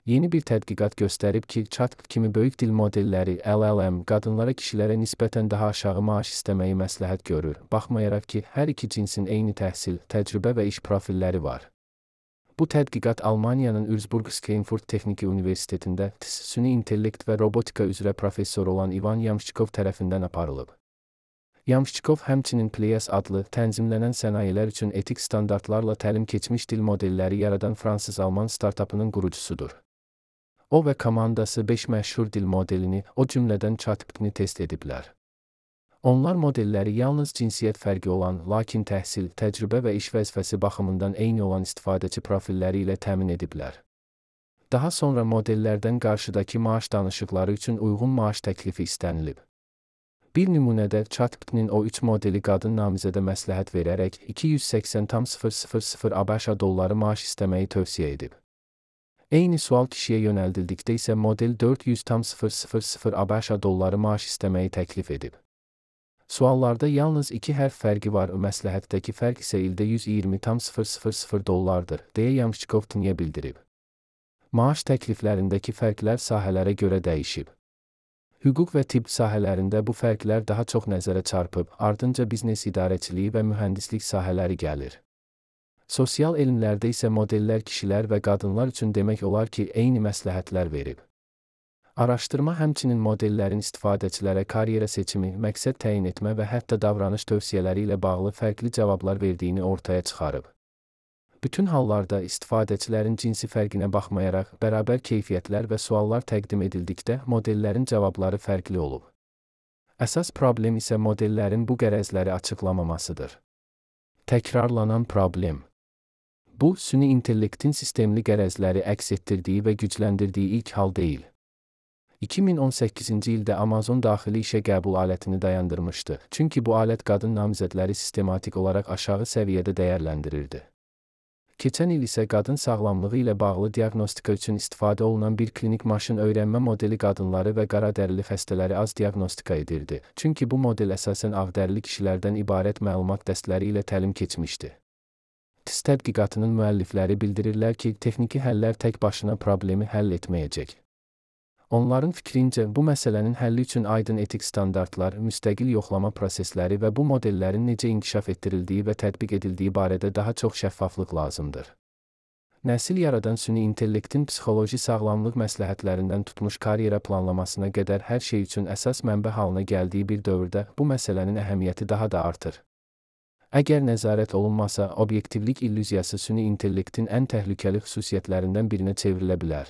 Yeni bir tədqiqat göstərib ki, ChatGPT kimi böyük dil modelləri LLM qadınlara kişilərə nisbətən daha aşağı maaş istəməyi məsləhət görür, baxmayaraq ki, hər iki cinsin eyni təhsil, təcrübə və iş profilləri var. Bu tədqiqat Almaniyanın Würzburg-Schweinfurt Texniki Universitetində süni intellekt və robotika üzrə professor olan Ivan Yamshchikov tərəfindən aparılıb. Yamshchikov həmçinin Pleias adlı tənzimlənən sənayilər üçün etik standartlarla təlim keçmiş dil modelləri yaradan fransız-alman startapının qurucusudur. O və komandası 5 məşhur dil modelini, o cümlədən ChatGPT-ni test ediblər. Onlar modelləri yalnız cinsiyyət fərqi olan, lakin təhsil, təcrübə və iş vəzifəsi baxımından eyni olan istifadəçi profilləri ilə təmin ediblər. Daha sonra modellərdən qarşıdakı maaş danışıqları üçün uyğun maaş təklifi istənilib. Bir nümunədə ChatGPT-nin o 3 modeli qadın namizədə məsləhət verərək 280,000 ABŞ dolları maaş istəməyi tövsiyə edib. Eyni sual kişiyə yönəldildikdə isə model 400,000 ABŞ dolları maaş istəməyi təklif edib. Suallarda yalnız 2 hərf fərqi var, məsləhətdəki fərq isə ildə 120,000 dollardır, deyə Yamshchikov TN-yə bildirib. Maaş təkliflərindəki fərqlər sahələrə görə dəyişib. Hüquq və tibb sahələrində bu fərqlər daha çox nəzərə çarpıb, ardınca biznes idarəçiliyi və mühəndislik sahələri gəlir. Sosial elmlərdə isə modellər kişilər və qadınlar üçün demək olar ki, eyni məsləhətlər verib. Araşdırma həmçinin modellərin istifadəçilərə karyera seçimi, məqsəd təyin etmə və hətta davranış tövsiyələri ilə bağlı fərqli cavablar verdiyini ortaya çıxarıb. Bütün hallarda istifadəçilərin cinsi fərqinə baxmayaraq, bərabər keyfiyyətlər və suallar təqdim edildikdə modellərin cavabları fərqli olub. Əsas problem isə modellərin bu qərəzləri açıqlamamasıdır. Təkrarlanan problem. Bu, süni intellektin sistemli qərəzləri əks etdirdiyi və gücləndirdiyi ilk hal deyil. 2018-ci ildə Amazon daxili işə qəbul alətini dayandırmışdı, çünki bu alət qadın namizədləri sistematik olaraq aşağı səviyyədə dəyərləndirirdi. Keçən il isə qadın sağlamlığı ilə bağlı diaqnostika üçün istifadə olunan bir klinik maşın öyrənmə modeli qadınları və qaradərili xəstələri az diaqnostika edirdi, çünki bu model əsasən ağdərili kişilərdən ibarət məlumat dəstləri ilə təlim keçmişdi. TIS tədqiqatının müəllifləri bildirirlər ki, texniki həllər tək başına problemi həll etməyəcək. Onların fikrincə, bu məsələnin həlli üçün aydın etik standartlar, müstəqil yoxlama prosesləri və bu modellərin necə inkişaf etdirildiyi və tətbiq edildiyi barədə daha çox şəffaflıq lazımdır. Nəsil yaradan süni intellektin psixoloji sağlamlıq məsləhətlərindən tutmuş karyera planlamasına qədər hər şey üçün əsas mənbə halına gəldiyi bir dövrdə bu məsələnin əhəmiyyəti daha da artır. Əgər nəzarət olunmasa, obyektivlik illüziyası süni intellektin ən təhlükəli xüsusiyyətlərindən birinə çevrilə bilər.